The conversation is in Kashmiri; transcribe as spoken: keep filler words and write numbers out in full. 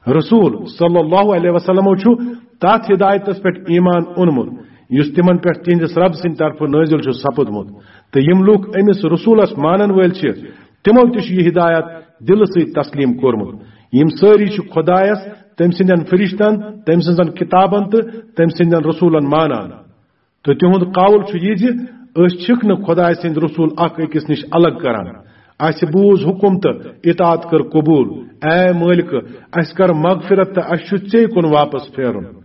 رسول صلی اللہ علیہ وسلمو چھُ تتھ ہدایتس پٮ۪ٹھ ایمان اونمُت یُس تِمن پٮ۪ٹھ تِہنٛدِس رب سٕنٛدِ طرفہٕ نٲزِل چھُ سپُدمُت، تہٕ یِم لوٗکھ أمِس رسولس مانن وٲلۍ چھِ، تِمو تہِ چھُ یہِ ہدایت دِلہٕ سۭتۍ تسلیٖم کوٚرمُت۔ یِم سٲری چھِ خۄدایس، تٔمۍ سٕنٛدٮ۪ن فرشتن، تٔمۍ سٕنٛزن کِتابن تہٕ تٔمۍ سٕنٛدٮ۪ن رسولن مانان۔ تہٕ تِہُنٛد قول چھُ یہِ زِ أسۍ چھِکھ نہٕ خۄداے سٕنٛدۍ رسول اکھ أکِس نِش الگ کران۔ اسہِ بوٗز حُکم تہٕ اطاعت کٔر قبوٗل۔ اے مٲلکہٕ، اسہِ کر مغفرت تہٕ اسہِ چھُ ژے کُن واپس پھیرُن۔